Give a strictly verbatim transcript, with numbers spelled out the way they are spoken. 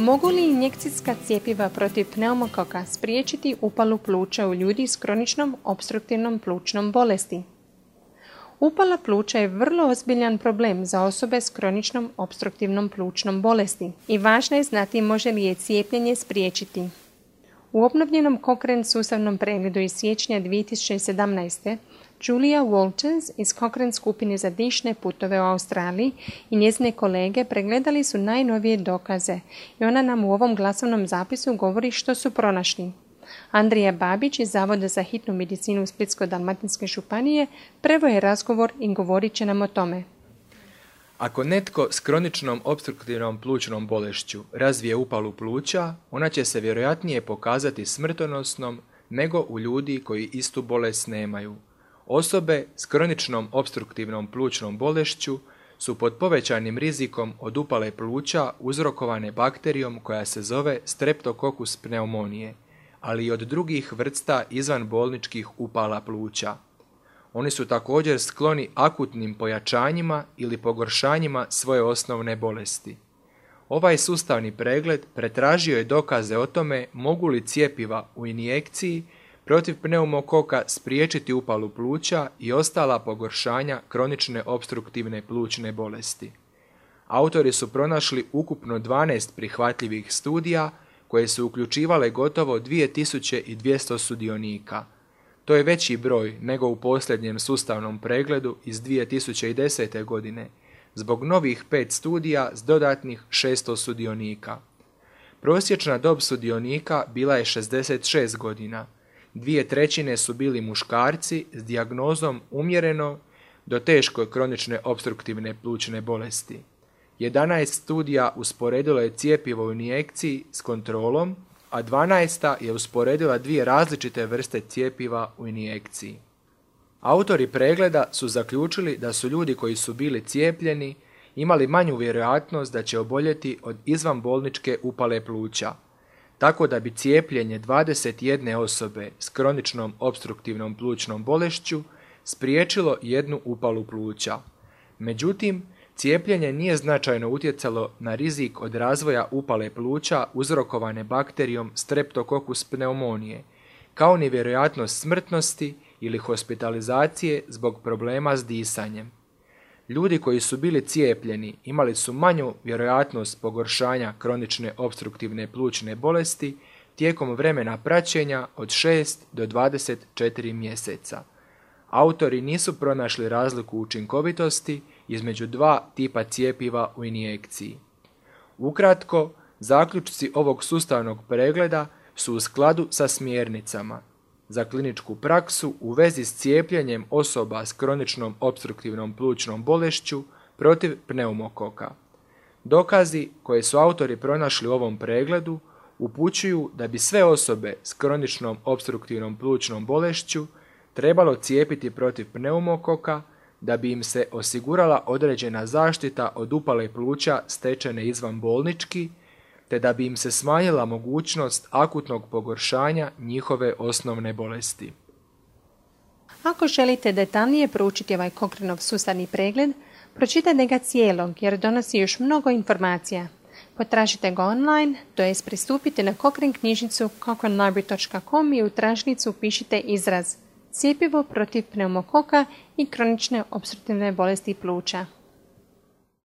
Mogu li injekcijska cjepiva protiv pneumokoka spriječiti upalu pluća u ljudi s kroničnom opstruktivnom plućnom bolesti? Upala pluća je vrlo ozbiljan problem za osobe s kroničnom opstruktivnom plućnom bolesti i važno je znati može li je cijepljenje spriječiti. U obnovljenom Cochrane sustavnom pregledu iz siječnja dvije tisuće sedamnaeste. Julia Walters iz Cochrane skupine za dišne putove u Australiji i njezine kolege pregledali su najnovije dokaze i ona nam u ovom glasovnom zapisu govori što su pronašli. Andrija Babić iz Zavoda za hitnu medicinu Splitsko-dalmatinske županije prvo je razgovor i govorit će nam o tome. Ako netko s kroničnom opstruktivnom plućnom bolešću razvije upalu pluća, ona će se vjerojatnije pokazati smrtonosnom nego u ljudi koji istu bolest nemaju. Osobe s kroničnom opstruktivnom plućnom bolešću su pod povećanim rizikom od upale pluća uzrokovane bakterijom koja se zove Streptococcus pneumonije, ali i od drugih vrsta izvanbolničkih upala pluća. Oni su također skloni akutnim pojačanjima ili pogoršanjima svoje osnovne bolesti. Ovaj sustavni pregled pretražio je dokaze o tome mogu li cjepiva u injekciji protiv pneumokoka spriječiti upalu pluća i ostala pogoršanja kronične opstruktivne plućne bolesti. Autori su pronašli ukupno dvanaest prihvatljivih studija koje su uključivale gotovo dvije tisuće dvjesto sudionika. To je veći broj nego u posljednjem sustavnom pregledu iz dvije tisuće desete. godine, zbog novih pet studija s dodatnih šesto sudionika. Prosječna dob sudionika bila je šezdeset šest godina. Dvije trećine su bili muškarci s dijagnozom umjereno do teško kronične opstruktivne plućne bolesti. jedanaest studija usporedilo je cjepivo u injekciji s kontrolom, a dvanaesta je usporedila dvije različite vrste cjepiva u injekciji. Autori pregleda su zaključili da su ljudi koji su bili cijepljeni imali manju vjerojatnost da će oboljeti od izvanbolničke upale pluća, tako da bi cijepljenje dvadeset jedne osobe s kroničnom opstruktivnom plućnom bolešću spriječilo jednu upalu pluća. Međutim, cijepljenje nije značajno utjecalo na rizik od razvoja upale pluća uzrokovane bakterijom Streptococcus pneumonije, kao ni vjerojatnost smrtnosti ili hospitalizacije zbog problema s disanjem. Ljudi koji su bili cijepljeni imali su manju vjerojatnost pogoršanja kronične opstruktivne plućne bolesti tijekom vremena praćenja od šest do dvadeset četiri mjeseca. Autori nisu pronašli razliku učinkovitosti između dva tipa cjepiva u injekciji. Ukratko, zaključci ovog sustavnog pregleda su u skladu sa smjernicama za kliničku praksu u vezi s cijepljenjem osoba s kroničnom opstruktivnom plućnom bolešću protiv pneumokoka. Dokazi koje su autori pronašli u ovom pregledu upućuju da bi sve osobe s kroničnom opstruktivnom plućnom bolešću trebalo cijepiti protiv pneumokoka da bi im se osigurala određena zaštita od upale pluća stečene izvanbolnički, te da bi im se smanjila mogućnost akutnog pogoršanja njihove osnovne bolesti. Ako želite detaljnije proučiti ovaj Cochraneov sustavni pregled, pročitajte ga cijelog jer donosi još mnogo informacija. Potražite ga online, to jest pristupite na Cochrane knjižnicu cochrane library dot com i u tražnicu upišite izraz cjepivo protiv pneumokoka i kronične opstruktivne bolesti pluća.